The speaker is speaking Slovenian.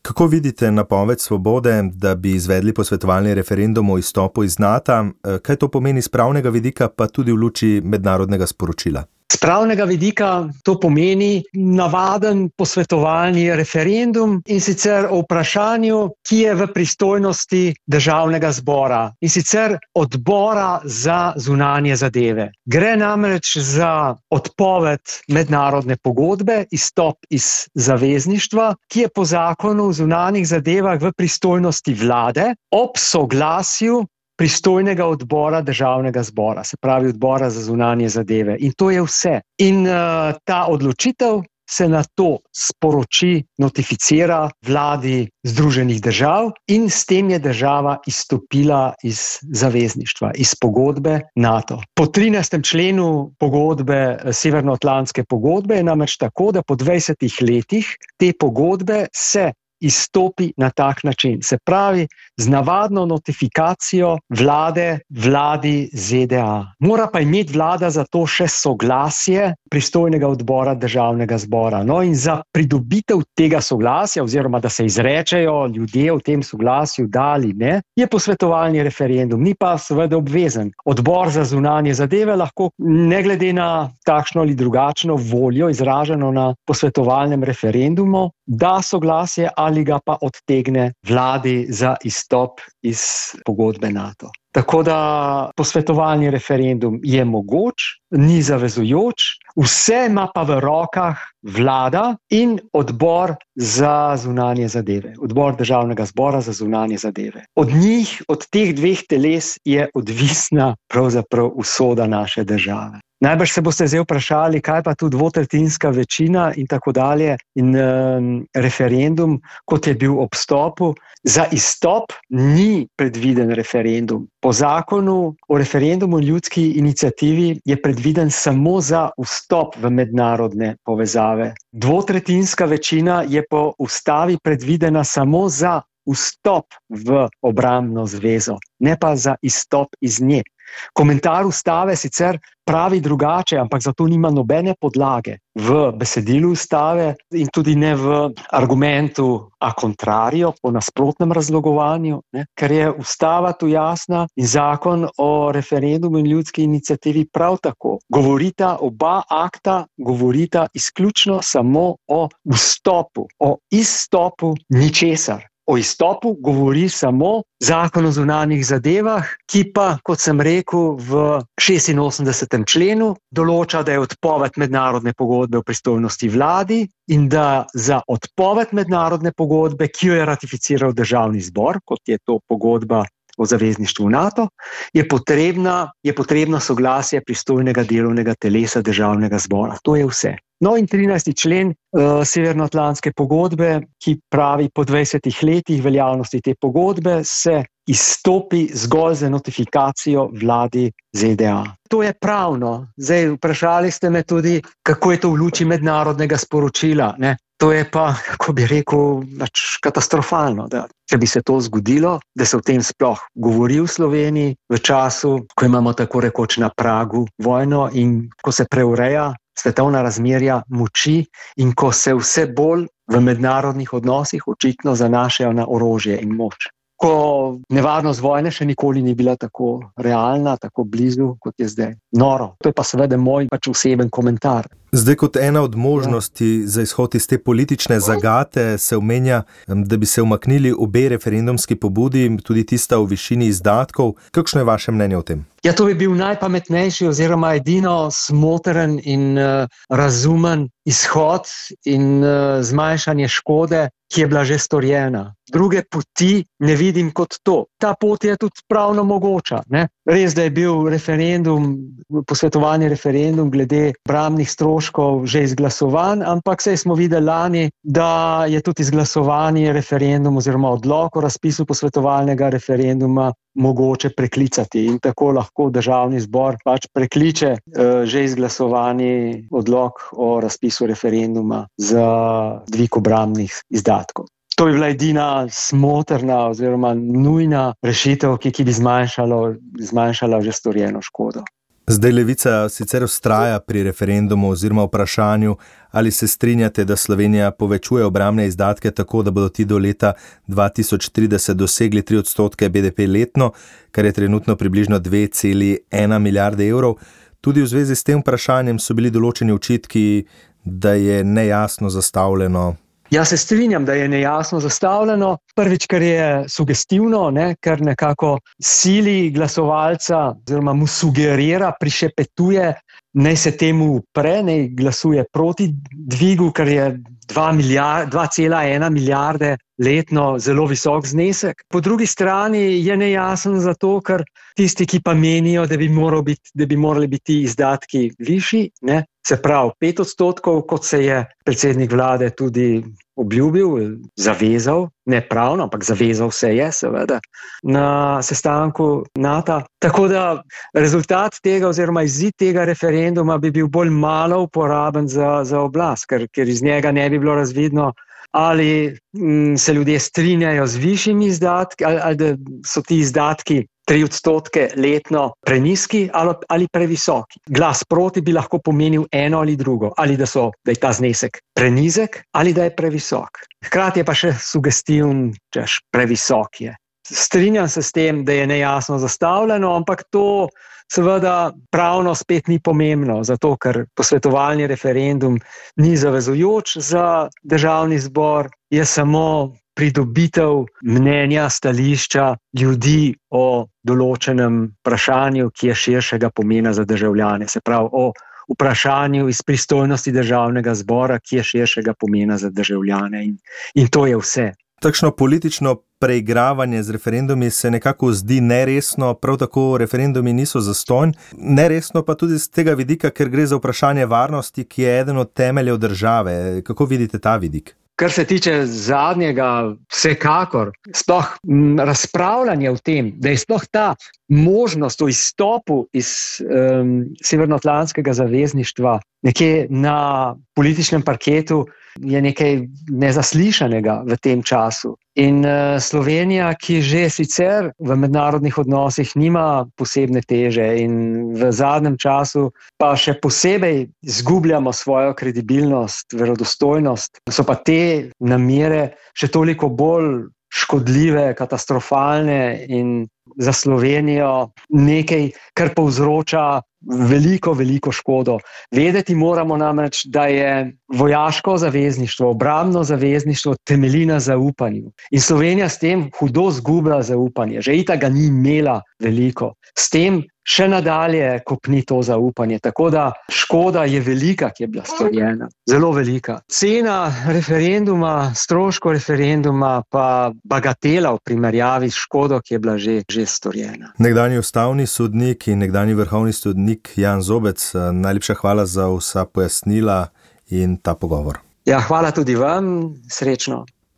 Kako vidite napoved Svobode, da bi izvedli posvetovalni referendum o izstopu iz Nata? Kaj to pomeni z pravnega vidika, pa tudi v luči mednarodnega sporočila? Z pravnega vidika to pomeni navaden posvetovalni referendum, in sicer o vprašanju, ki je v pristojnosti Državnega zbora, in sicer Odbora za zunanje zadeve. Gre namreč za odpoved mednarodne pogodbe, izstop iz zavezništva, ki je po zakonu o zunanjih zadevah v pristojnosti vlade ob soglasju pristojnega odbora Državnega zbora, se pravi Odbora za zunanje zadeve. In to je vse. In ta odločitev se na to sporoči, notificira vladi Združenih držav in s tem je država izstopila iz zavezništva, iz pogodbe NATO. Po 13. členu pogodbe, Severnoatlantske pogodbe, je namreč tako, da po 20 letih te pogodbe se izstopi na tak način. Se pravi, z navadno notifikacijo vladi ZDA. Mora pa imeti vlada za to še soglasje pristojnega odbora Državnega zbora. No, in za pridobitev tega soglasja, oziroma da se izrečejo ljudje v tem soglasju, da ali ne, je posvetovalni referendum, ni pa seveda obvezen. Odbor za zunanje zadeve lahko, ne glede na takšno ali drugačno voljo, izraženo na posvetovalnem referendumu, da soglasje ali ga pa odtegne vladi za izstop iz pogodbe NATO. Tako da posvetovalni referendum je mogoč, ni zavezujoč, vse ima pa v rokah vlada in odbor za zunanje zadeve, odbor Državnega zbora za zunanje zadeve. Od njih, od teh dveh teles je odvisna pravzaprav usoda naše države. Najbrž se boste zdaj vprašali, kaj pa tu dvotretjinska večina in tako dalje in referendum, kot je bil ob vstopu. Za izstop ni predviden referendum. Po zakonu o referendumu in ljudski iniciativi je predviden samo za vstop v mednarodne povezave. Dvotretjinska večina je po ustavi predvidena samo za vstop v obrambno zvezo, ne pa za izstop iz nje. Komentar ustave sicer pravi drugače, ampak zato nima nobene podlage v besedilu ustave in tudi ne v argumentu a contrario, po nasprotnem razlogovanju, ker je ustava tu jasna in zakon o referendumu in ljudski iniciativi prav tako. Govorita oba akta, govorita izključno samo o vstopu, o izstopu ničesar. O izstopu govori samo zakon o zunanjih zadevah, ki pa, kot sem rekel, v 86. členu določa, da je odpoved mednarodne pogodbe v pristojnosti vladi in da za odpoved mednarodne pogodbe, ki jo je ratificiral Državni zbor, kot je to pogodba o zavezništvu NATO, je potrebno soglasje pristojnega delovnega telesa Državnega zbora. To je vse. No in 13. člen Severnoatlantske pogodbe, ki pravi, po 20 letih veljavnosti te pogodbe se izstopi zgolj za notifikacijo vladi ZDA. To je pravno. Zdaj, vprašali ste me tudi, kako je to v luči mednarodnega sporočila, ne? To je pa, kako bi rekel, katastrofalno, da če bi se to zgodilo, da se o tem sploh govori v Sloveniji v času, ko imamo tako rekoč na pragu vojno in ko se preureja svetovna razmerja moči in ko se vse bolj v mednarodnih odnosih očitno zanašajo na orožje in moč. Ko nevarnost vojne še nikoli ni bila tako realna, tako blizu, kot je zdaj. Noro. To je pa seveda moj oseben komentar. Zdaj, kot ena od možnosti za izhod iz te politične zagate se omenja, da bi se umaknili obe referendumski pobudi, tudi tista v višini izdatkov. Kakšno je vaše mnenje o tem? Ja, to bi bil najpametnejši oziroma edino smotren in razumen izhod in zmanjšanje škode, ki je bila že storjena. Druge poti ne vidim kot to. Ta pot je tudi pravno mogoča, ne? Res, da je bil posvetovalni referendum glede obrambnih stroškov že izglasovan, ampak saj smo videli lani, da je tudi izglasovanje referendum oziroma odlok o razpisu posvetovalnega referenduma mogoče preklicati in tako lahko Državni zbor prekliče že izglasovani odlok o razpisu referenduma za dvig obrambnih izdatkov. To je bila edina smotrna oziroma nujna rešitev, ki bi zmanjšala že storjeno škodo. Zdaj Levica sicer vztraja pri referendumu oziroma vprašanju, ali se strinjate, da Slovenija povečuje obrambne izdatke tako, da bodo ti do leta 2030 dosegli 3% BDP letno, kar je trenutno približno 2,1 milijarde evrov. Tudi v zvezi s tem vprašanjem so bili določeni očitki, da je nejasno zastavljeno. Jaz se strinjam, da je nejasno zastavljeno. Prvič, ker je sugestivno, ker nekako sili glasovalca oziroma mu sugerira, prišepetuje, naj se temu upre, naj glasuje proti dvigu, ker je 2,1 milijarde letno zelo visok znesek. Po drugi strani je nejasen zato, ker tisti, ki pa menijo, da bi morali biti izdatki višji, se pravi 5%, kot se je predsednik vlade tudi obljubil, zavezal, ne pravno, ampak zavezal se je seveda na sestanku NATO. Tako da rezultat tega oziroma izid tega referenduma bi bil bolj malo uporaben za oblast, ker iz njega ne bi bilo razvidno, ali se ljudje strinjajo z višjimi izdatki, ali da so ti izdatki 3% letno preniski ali previsoki. Glas proti bi lahko pomenil eno ali drugo, ali da je ta znesek prenizek ali da je previsok. Hkrati je pa še sugestiven, češ previsok je. Strinjam se s tem, da je nejasno zastavljeno, ampak to seveda pravno spet ni pomembno, zato ker posvetovalni referendum ni zavezujoč za državni zbor, je samo pridobitev mnenja, stališča ljudi o določenem vprašanju, ki je širšega pomena za državljane. Se pravi, o vprašanju iz pristojnosti državnega zbora, ki je širšega pomena za državljane. In to je vse. Takšno politično preigravanje z referendumi se nekako zdi neresno, prav tako referendumi niso zastonj. Neresno pa tudi z tega vidika, ker gre za vprašanje varnosti, ki je eden od temeljev države. Kako vidite ta vidik? Kar se tiče zadnjega, vsekakor, sploh razpravljanje o tem, da je sploh ta možnost o izstopu iz Severnoatlantskega zavezništva nekje na političnem parketu, je nekaj nezaslišanega v tem času. In Slovenija, ki že sicer v mednarodnih odnosih nima posebne teže in v zadnjem času pa še posebej izgubljamo svojo kredibilnost, verodostojnost, so pa te namere še toliko bolj škodljive, katastrofalne in za Slovenijo nekaj, kar povzroča veliko škodo. Vedeti moramo namreč, da je vojaško zavezništvo, obrambno zavezništvo temelji na zaupanju. In Slovenija s tem hudo zgublja zaupanje. Že itak ga ni imela veliko. S tem še nadalje kopni to zaupanje. Tako da škoda je velika, ki je bila storjena. Zelo velika. Cena referenduma, stroško referenduma pa bagatela v primerjavi s škodo, ki je bila že storjena. Nekdanji ustavni sodnik in nekdanji vrhovni sodnik Jan Zobec, najlepša hvala za vsa pojasnila in ta pogovor. Ja, hvala tudi vam. Srečno.